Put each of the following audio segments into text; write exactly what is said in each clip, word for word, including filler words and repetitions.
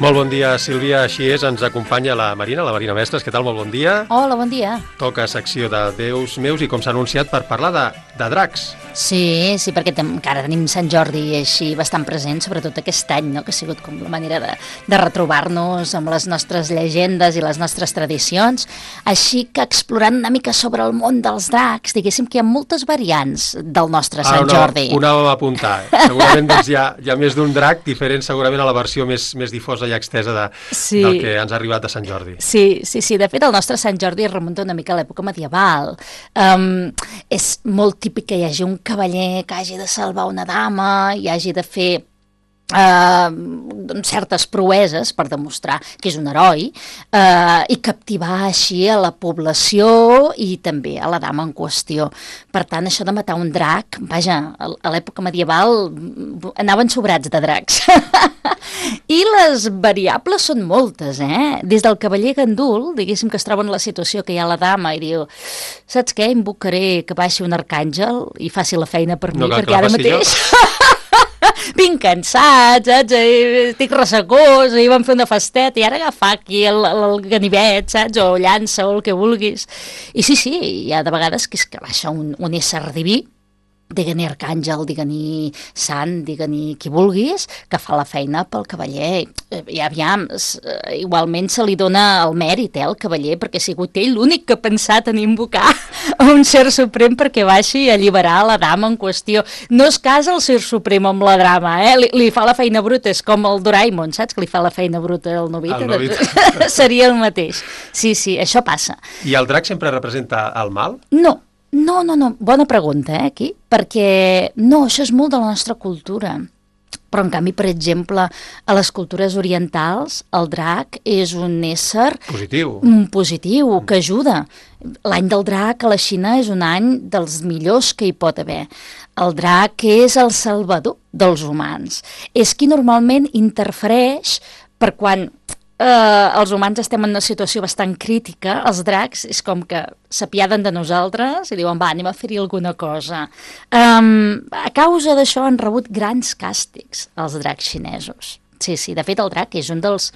Molt bon dia, Sílvia. Així és, ens acompanya la Marina, la Marina Mestres. Què tal? Molt bon dia. Hola, bon dia. Toca secció de Déus meus i com s'ha anunciat per parlar de, de dracs. Sí, sí, perquè tem, encara tenim Sant Jordi així bastant present, sobretot aquest any, no? Que ha sigut com la manera de, de retrobar-nos amb les nostres llegendes i les nostres tradicions. Així que explorant una mica sobre el món dels dracs, diguéssim que hi ha moltes variants del nostre Sant ah, no, Jordi. Ho anàvem a apuntar. Segurament doncs, hi, ha, hi ha més d'un drac, diferent segurament a la versió més, més difosa i extesa de, sí. del que ens ha arribat de Sant Jordi. Sí, sí, sí. De fet, el nostre Sant Jordi es remunta una mica a l'època medieval. Um, és molt típic que hi hagi un cavaller que hagi de salvar una dama i hagi de fer Uh, certes proeses per demostrar que és un heroi uh, i captivar així a la població i també a la dama en qüestió. Per tant, això de matar un drac, vaja, a l'època medieval anaven sobrats de dracs. I les variables són moltes, eh? Des del cavaller gandul, diguéssim que es troba en la situació que hi ha la dama i diu, saps què, invocaré que baixi un arcàngel i faci la feina per mi, no perquè ara mateix... vinc cansat, saps? Estic ressecós, ahir vam fer una festeta i ara agafar aquí el, el ganivet, saps? O llança o el que vulguis. I sí, sí, hi ha de vegades que és que baixa un, un ésser diví, digue-ni arcàngel, digue-ni sant, digue-ni qui vulguis, que fa la feina pel cavaller. I aviam, igualment se li dona el mèrit, eh, al cavaller, perquè ha sigut ell l'únic que ha pensat en invocar a un ser suprem perquè baixi a alliberar la dama en qüestió. No es casa el ser suprem amb la dama, eh? Li, li fa la feina bruta, és com el Doraemon, saps? Que li fa la feina bruta al Novita. El Novita. Seria el mateix. Sí, sí, això passa. I el drac sempre representa el mal? No. No, no, no, bona pregunta, eh, aquí, perquè no, això és molt de la nostra cultura, però en canvi, per exemple, a les cultures orientals, el drac és un ésser... Positiu. Un positiu, que ajuda. L'any del drac a la Xina és un any dels millors que hi pot haver. El drac és el salvador dels humans. És qui normalment interfereix per quan... Uh, els humans estem en una situació bastant crítica, els dracs és com que s'apiaden de nosaltres i diuen, va, anem a fer-hi alguna cosa. Um, a causa d'això han rebut grans càstigs els dracs xinesos. Sí, sí, de fet el drac és un dels,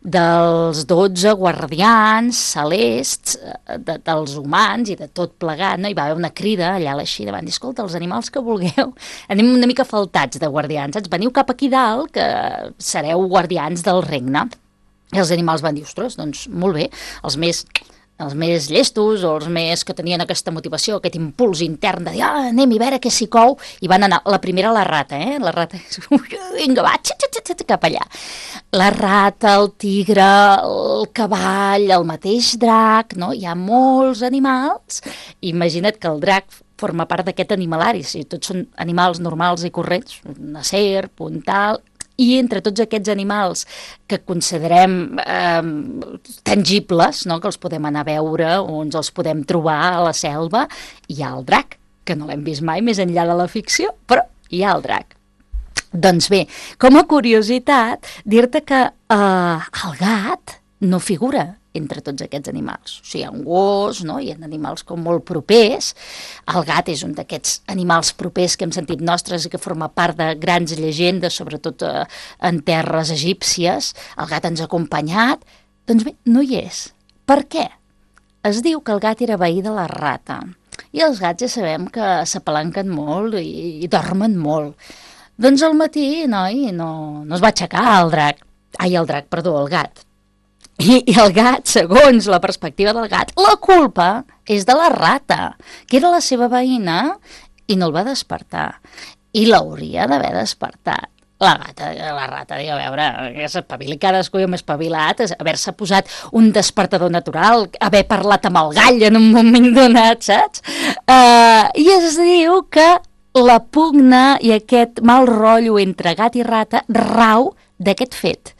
dels dotze guardians celests de, dels humans i de tot plegat, no? Hi va haver una crida allà a la Xina, van dir, escolta, els animals que vulgueu, anem una mica faltats de guardians, saps? Veniu cap aquí dalt que sereu guardians del regne. I els animals van dir, ostres, doncs molt bé, els més, els més llestos o els més que tenien aquesta motivació, aquest impuls intern de dir, ah, anem a veure què s'hi cou, i van anar, la primera la rata, eh? La rata, vinga, va, xat, xat, xat, cap allà. La rata, el tigre, el cavall, el mateix drac, no? Hi ha molts animals, imagina't que el drac forma part d'aquest animalari, si tots són animals normals i corrents, una serp, un tal... I entre tots aquests animals que considerem eh, tangibles, no? Que els podem anar a veure o ens els podem trobar a la selva, hi ha el drac, que no l'hem vist mai més enllà de la ficció, però hi ha el drac. Doncs bé, com a curiositat, dir-te que eh, el gat no figura entre tots aquests animals. O sigui, hi ha un gos, no? Hi ha animals com molt propers. El gat és un d'aquests animals propers que hem sentit nostres i que forma part de grans llegendes, sobretot eh, en terres egípcies. El gat ens ha acompanyat. Doncs bé, no hi és. Per què? Es diu que el gat era veí de la rata. I els gats ja sabem que s'apalanquen molt i, i dormen molt. Doncs al matí, noi, no, no es va aixecar el drac. Ai, el drac, perdó, el gat. I, I el gat, segons la perspectiva del gat, la culpa és de la rata, que era la seva veïna i no el va despertar. I l'hauria d'haver despertat. La gata, la rata, diu, a veure, que s'espavili cadascú i hem espavilat, haver-se posat un despertador natural, haver parlat amb el gall en un moment donat, saps? Uh, I es diu que la pugna i aquest mal rotllo entre gat i rata rau d'aquest fet,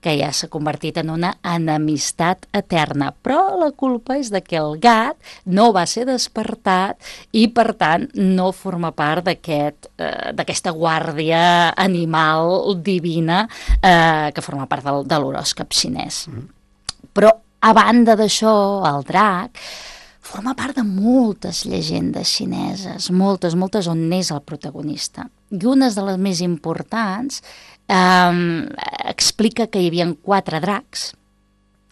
que ja s'ha convertit en una enemistat eterna. Però la culpa és de que el gat no va ser despertat i, per tant, no forma part d'aquest, eh, d'aquesta guàrdia animal divina eh, que forma part del, de l'horòscop xinès. Mm. Però, a banda d'això, el drac forma part de moltes llegendes xineses, moltes, moltes on és el protagonista. I una de les més importants Um, explica que hi havia quatre dracs,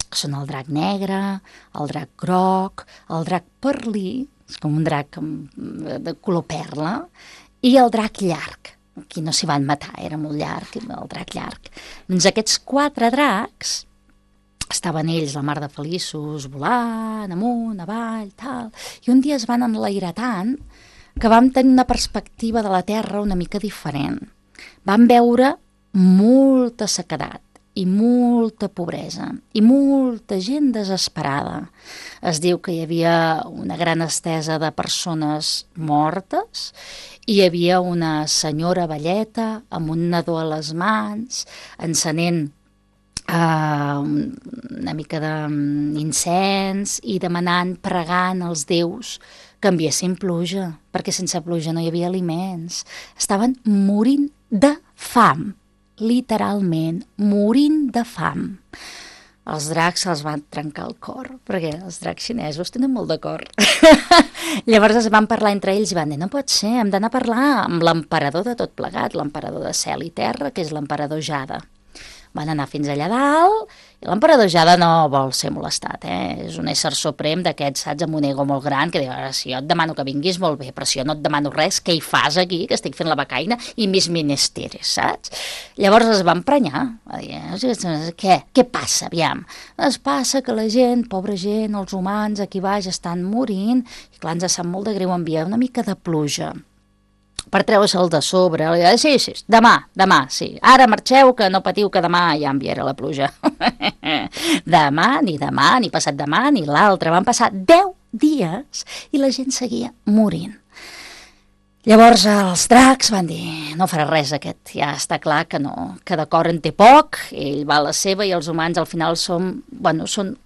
que són el drac negre, el drac groc, el drac perlí, és com un drac de color perla, i el drac llarg. Aquí no s'hi van matar, era molt llarg, el drac llarg. Doncs aquests quatre dracs estaven ells la mar de feliços, volant, amunt, avall, tal, i un dia es van enlairar tant que vam tenir una perspectiva de la Terra una mica diferent. Vam veure molta sequedat i molta pobresa i molta gent desesperada. Es diu que hi havia una gran estesa de persones mortes, i hi havia una senyora velleta amb un nadó a les mans, encenent uh, una mica d'incens i demanant, pregant als déus que enviessin pluja, perquè sense pluja no hi havia aliments. Estaven morint de fam, literalment, morint de fam. Els dracs se'ls van trencar el cor, perquè els dracs xinesos tenen molt de cor. Llavors es van parlar entre ells i van dir, no pot ser, hem d'anar a parlar amb l'emperador de tot plegat, l'emperador de cel i terra, que és l'emperador Jada. Van anar fins allà dalt, i l'emperador Jada no vol ser molestat, eh? És un ésser suprem d'aquests, saps, amb un ego molt gran, que diu, si jo et demano que vinguis, molt bé, però si jo no et demano res, què hi fas aquí, que estic fent la becaina, i mis menesteres, saps? Llavors es van prenyar, va dir, què? Què passa, aviam? Es passa que la gent, pobra gent, els humans aquí baix estan morint, i clar, ens sap molt de greu enviar una mica de pluja per treure-se'l de sobre. Sí, sí, demà, demà, sí. Ara marxeu, que no patiu, que demà ja enviaré la pluja. Demà, ni demà, ni passat demà, ni l'altre. Van passar deu dies i la gent seguia morint. Llavors els dracs van dir, no farà res aquest, ja està clar que no, que d'acord en té poc, ell va a la seva i els humans al final som, bueno, són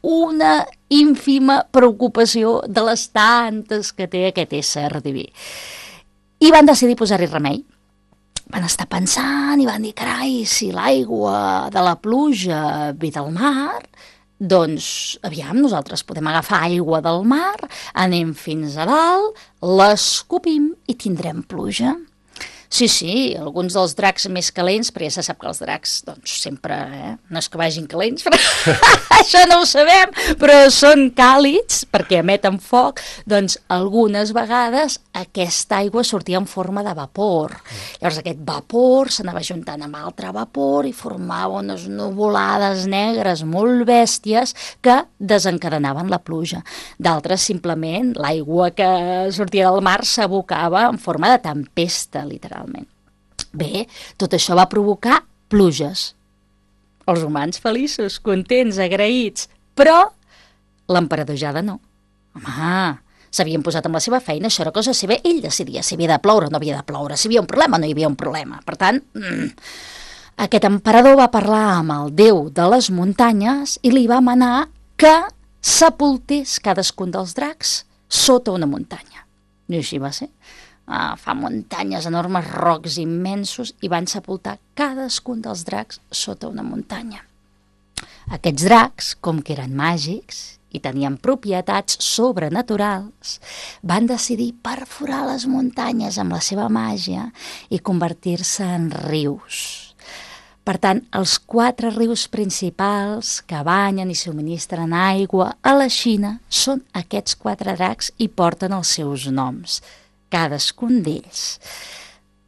una ínfima preocupació de les tantes que té aquest ésser diví. I van decidir posar-hi remei. Van estar pensant i van dir, carai, si l'aigua de la pluja ve del mar, doncs, aviam, nosaltres podem agafar aigua del mar, anem fins a dalt, l'escopim i tindrem pluja. Sí, sí, alguns dels dracs més calents, perquè ja se sap que els dracs, doncs, sempre, eh, no és que vagin calents, però això no ho sabem, però són càlids, perquè emeten foc, doncs, algunes vegades aquesta aigua sortia en forma de vapor. Llavors aquest vapor s'anava juntant amb altre vapor i formava unes nuvolades negres molt bèsties que desencadenaven la pluja. D'altres, simplement, l'aigua que sortia del mar s'abocava en forma de tempesta, literal. Bé, tot això va provocar pluges. Els humans feliços, contents, agraïts, però l'emperador Jada no. Home, s'havien posat amb la seva feina, això era cosa seva, ell decidia si havia de ploure o no havia de ploure, si hi havia un problema o no hi havia un problema. Per tant, mm, aquest emperador va parlar amb el déu de les muntanyes i li va manar que sepultés cadascun dels dracs sota una muntanya. I així va ser. Uh, fa muntanyes enormes, rocs immensos, i van sepultar cadascun dels dracs sota una muntanya. Aquests dracs, com que eren màgics i tenien propietats sobrenaturals, van decidir perforar les muntanyes amb la seva màgia i convertir-se en rius. Per tant, els quatre rius principals que banyen i subministren aigua a la Xina són aquests quatre dracs i porten els seus noms, cadascun d'ells.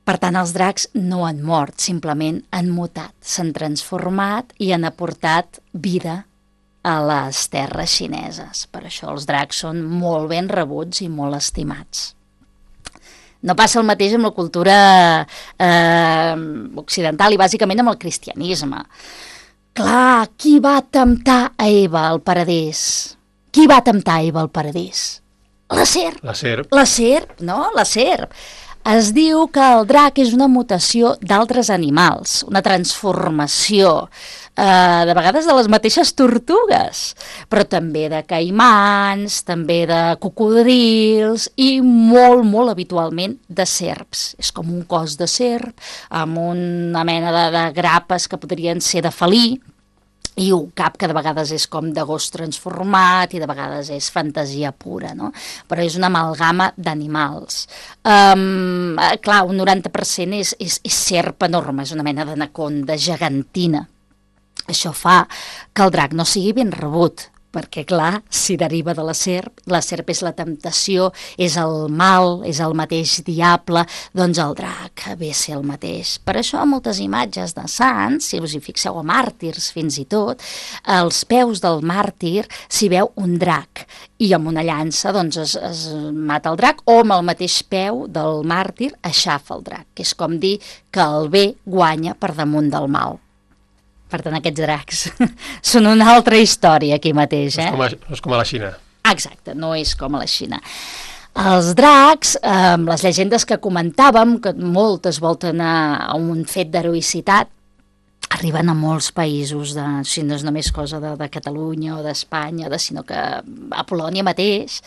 Per tant, els dracs no han mort, simplement han mutat, s'han transformat i han aportat vida a les terres xineses. Per això els dracs són molt ben rebuts i molt estimats. No passa el mateix amb la cultura eh, occidental i bàsicament amb el cristianisme. Clar, qui va temptar a Eva al paradís? Qui va temptar a Eva al paradís? La serp. La serp. La serp, no? La serp. Es diu que el drac és una mutació d'altres animals, una transformació, eh, de vegades de les mateixes tortugues, però també de caimans, també de cocodrils i molt, molt habitualment de serps. És com un cos de serp amb una mena de, de grapes que podrien ser de felí, i un cap que de vegades és com de gos transformat i de vegades és fantasia pura, no? Però és una amalgama d'animals. Um, clar, un noranta per cent és, és, és serp enorme, és una mena d'anaconda gegantina. Això fa que el drac no sigui ben rebut, perquè, clar, si deriva de la serp, la serp és la temptació, és el mal, és el mateix diable, doncs el drac ve a ser el mateix. Per això, moltes imatges de sants, si us hi fixeu, a màrtirs fins i tot, als peus del màrtir s'hi veu un drac, i amb una llança doncs, es, es mata el drac, o amb el mateix peu del màrtir aixafa el drac, que és com dir que el bé guanya per damunt del mal. Per tant, aquests dracs són una altra història aquí mateix. Eh? No, és com a, no és com a la Xina. Exacte, no és com a la Xina. Els dracs, eh, les llegendes que comentàvem, que moltes volten a, a un fet d'heroïcitat, arriben a molts països, de, si no és només cosa de, de Catalunya o d'Espanya, de, sinó que a Polònia mateix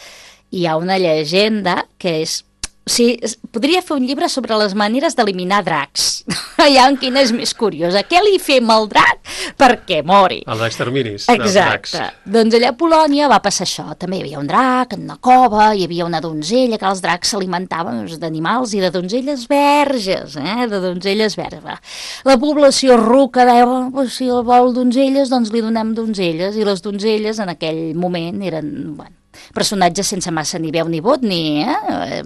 hi ha una llegenda que és... O sigui, podria fer un llibre sobre les maneres d'eliminar dracs. Allà en quina és més curiosa. Què li fem al drac perquè mori? Els exterminis dels dracs. Exacte. Doncs allà a Polònia va passar això. També hi havia un drac en una cova, hi havia una donzella, que els dracs s'alimentaven d'animals i de donzelles verges, eh? de donzelles verges. La població ruca deia, oh, si el vol donzelles, doncs li donem donzelles. I les donzelles en aquell moment eren... Bueno, personatges sense massa ni veu ni vot, ni... Eh?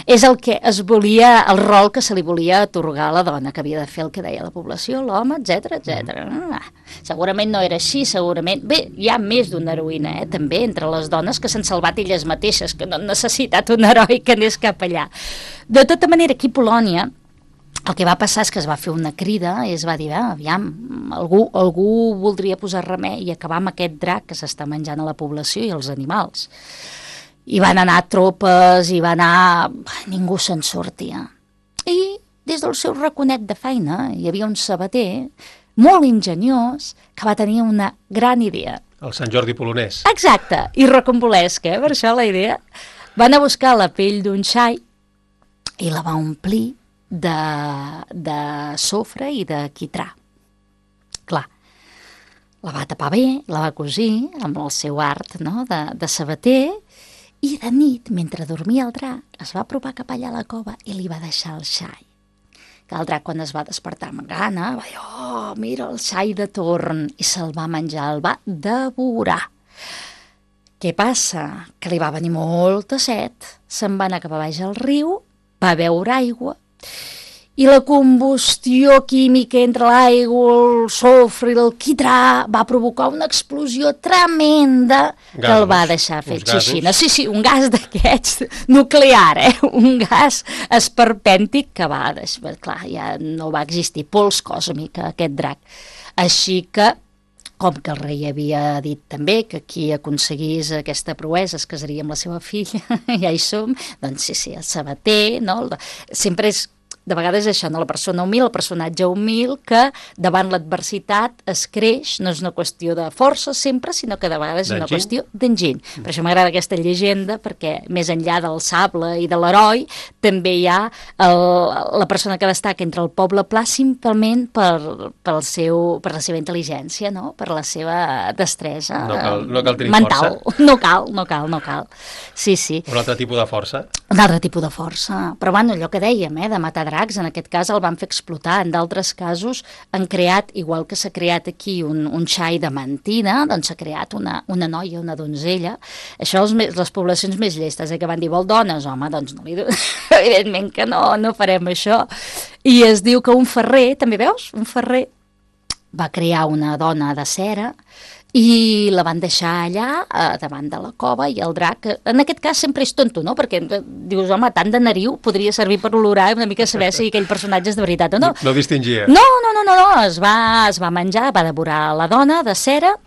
És el que es volia, el rol que se li volia atorgar a la dona, que havia de fer el que deia la població, l'home, etcètera, etcètera. Ah, segurament no era així, segurament... Bé, hi ha més d'una heroïna, eh, també, entre les dones que s'han salvat elles mateixes, que no han necessitat un heroi que anés cap allà. De tota manera, aquí a Polònia, el que va passar és que es va fer una crida i es va dir, ah, aviam, algú, algú voldria posar remei i acabar amb aquest drac que s'està menjant a la població i als animals. I van anar tropes, i va anar... Ningú se'n sortia. I des del seu raconet de feina hi havia un sabater molt ingeniós que va tenir una gran idea. El Sant Jordi polonès. Exacte, i rocambolesca, eh? Per això la idea. Van a buscar la pell d'un xai i la va omplir de, de sofre i de quitrà. Clar, la va tapar bé, la va cosir amb el seu art, no?, de, de sabater, i de nit, mentre dormia el drac, es va apropar cap allà a la cova i li va deixar el xai. Que el drac, quan es va despertar amb gana, va dir, oh, mira el xai de torn, i se'l va menjar, el va devorar. Què passa? Que li va venir molta set, se'n va anar cap a baix al riu, va beure aigua, i la combustió química entre l'aigua, el sofre i el quitrà va provocar una explosió tremenda que gasos, el va deixar fet xixina. Sí, sí, un gas d'aquests nuclear, eh? Un gas esperpèntic que va deixar... Clar, ja no va existir pols còsmica, aquest drac. Així que, com que el rei havia dit també que qui aconseguís aquesta proesa es casaria amb la seva filla, ja hi som, doncs sí, sí, el sabater, no? Sempre és... De vegades això, no? La persona humil, el personatge humil, que davant l'adversitat es creix, no és una qüestió de força sempre, sinó que de vegades és una qüestió d'enginy. Mm. Per això m'agrada aquesta llegenda, perquè més enllà del sable i de l'heroi, també hi ha el, la persona que destaca entre el poble pla simplement per, per, el seu, per la seva intel·ligència, no? Per la seva destresa no cal, no cal tenir mental. Força. No cal, no cal, no cal. Sí, sí. Un altre tipus de força. Un altre tipus de força. Però bueno, allò que dèiem, eh, de matar dracs, en aquest cas el van fer explotar, en d'altres casos han creat, igual que s'ha creat aquí un, un xai de mentina, doncs s'ha creat una, una noia, una donzella. Això els, les poblacions més llestes, eh, que van dir, vol dones? Home, doncs no li do... evidentment que no, no farem això. I es diu que un ferrer, també veus? Un ferrer va crear una dona de cera i la van deixar allà, eh, davant de la cova, i el drac, en aquest cas sempre és tonto, no? Perquè dius, home, tant de nariu podria servir per olorar i una mica saber si aquell personatge és de veritat o no. No, no distingia. No, no, no, no, no. Es, va, es va menjar, va devorar la dona de cera,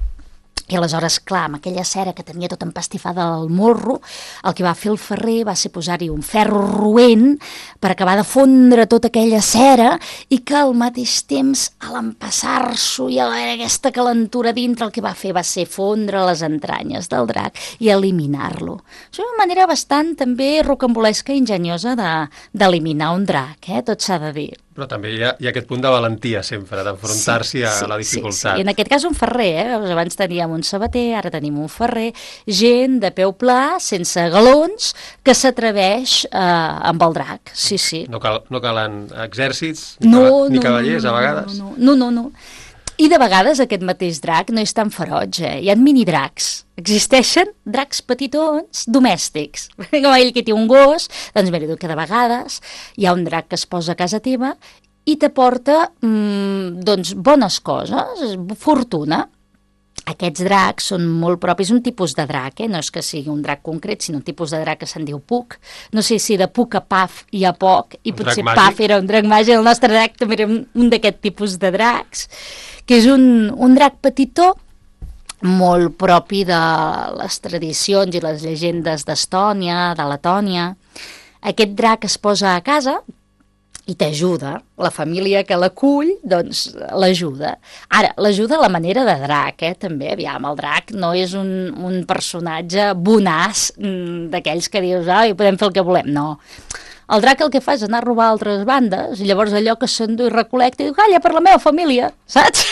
i aleshores, clar, amb aquella cera que tenia tot empastifada al morro, el que va fer el ferrer va ser posar-hi un ferro roent per acabar de fondre tota aquella cera i que al mateix temps, a l'empassar-s'ho i a aquesta calentura dintre, el que va fer va ser fondre les entranyes del drac i eliminar-lo. És una manera bastant també rocambolesca i enginyosa d'eliminar un drac, eh? Tot s'ha de dir. Però també hi ha, hi ha aquest punt de valentia sempre, d'enfrontar-s'hi a sí, la dificultat. Sí, sí. I en aquest cas un ferrer, eh? Abans teníem un sabater, ara tenim un ferrer, gent de peu pla, sense galons, que s'atreveix eh, amb el drac, sí, sí. No, cal, no calen exèrcits, ni, no, cava, ni no, cavallers, no, no, a vegades? No, no, no, no. I de vegades aquest mateix drac no és tan feroig, eh? Hi ha mini-dracs. Existeixen dracs petitons domèstics. Com ell que té un gos, doncs mira, que de vegades hi ha un drac que es posa a casa teva i t'aporta mmm, doncs, bones coses, fortuna. Aquests dracs són molt propis, un tipus de drac, eh? No és que sigui un drac concret, sinó un tipus de drac que se'n diu Puc. No sé si de Puc a Paf hi ha poc, i un potser Paf era un drac màgic, el nostre drac també era un, un d'aquest tipus de dracs, que és un, un drac petitó, molt propi de les tradicions i les llegendes d'Estònia, de Letònia. Aquest drac es posa a casa i t'ajuda. La família que l'acull, doncs, l'ajuda. Ara, l'ajuda a la manera de drac, eh, també, aviam, el drac no és un, un personatge bonaç mm, d'aquells que dius, ai, podem fer el que volem, no. El drac el que fa és anar a robar a altres bandes, i llavors allò que s'endú i recol·lecta i diu, calla, per la meva família, saps?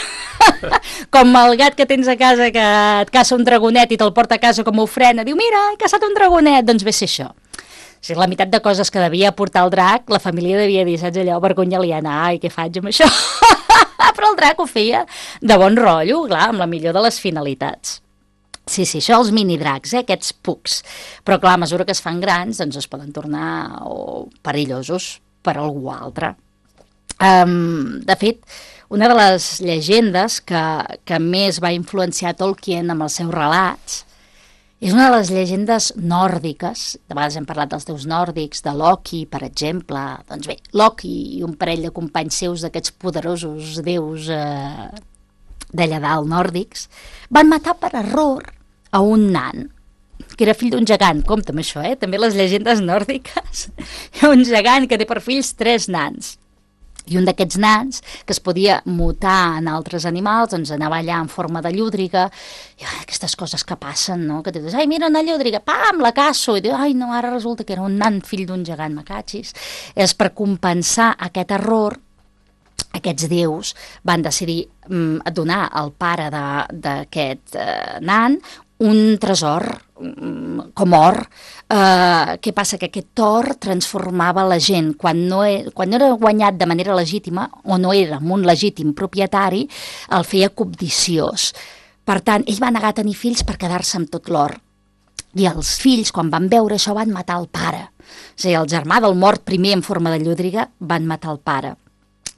Com el gat que tens a casa que et caça un dragonet i te'l porta a casa com a ofrena, diu, mira, he caçat un dragonet, doncs ve ser això. O sigui, la meitat de coses que devia portar el drac, la família devia dir, saps allò, vergonya li anar, i què faig amb això? Però el drac ho feia de bon rotllo, clar, amb la millor de les finalitats. Sí, sí, això els mini-dracs, eh, aquests pucs. Però clar, a mesura que es fan grans, doncs es poden tornar o perillosos per a algú altre. Um, de fet, una de les llegendes que, que més va influenciar Tolkien amb els seus relats és una de les llegendes nòrdiques. De vegades hem parlat dels déus nòrdics, de Loki, per exemple. Doncs bé, Loki i un parell de companys seus d'aquests poderosos déus eh, d'allà dalt nòrdics van matar per error a un nan, que era fill d'un gegant. Compte amb això, eh? També les llegendes nòrdiques. Hi ha un gegant que té per fills tres nans. I un d'aquests nans, que es podia mutar en altres animals, doncs anava allà en forma de llúdriga, i ai, aquestes coses que passen, no? Que tu dius, ai, mira una llúdriga, pam, la caço, i dius, ai, no, ara resulta que era un nan fill d'un gegant, me catxis. És per compensar aquest error, aquests déus van decidir mm, donar al pare d'aquest eh, nan un tresor mm, com or. Eh, què passa? Que aquest or transformava la gent. Quan no, e, quan no era guanyat de manera legítima, o no era un legítim propietari, el feia cobdiciós. Per tant, ell va negar a tenir fills per quedar-se amb tot l'or. I els fills, quan van veure això, van matar el pare. O sigui, el germà del mort primer en forma de llúdriga van matar el pare.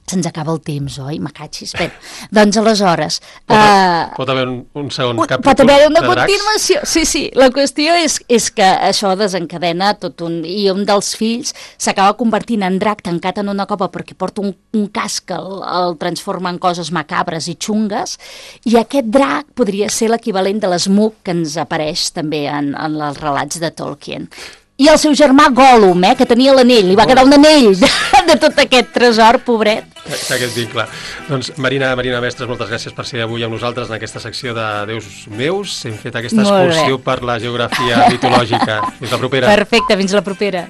Se'ns acaba el temps, oi? Me catxis. Bé, doncs aleshores... Pot, uh, pot haver un, un segon capítol pot haver una de dracs? Continuació. Sí, sí. La qüestió és, és que això desencadena tot un... I un dels fills s'acaba convertint en drac tancat en una cova perquè porta un, un casc que el, el transforma en coses macabres i xungues, i aquest drac podria ser l'equivalent de l'Smug que ens apareix també en, en els relats de Tolkien. I el seu germà Gollum, eh, que tenia l'anell, li va quedar un anell de, de tot aquest tresor, pobret. Aquest vincle. Doncs Marina, Marina Mestres, moltes gràcies per ser avui amb nosaltres en aquesta secció de Déus meus. Hem fet aquesta excursió per la geografia mitològica. Fins la propera. Perfecte, fins la propera.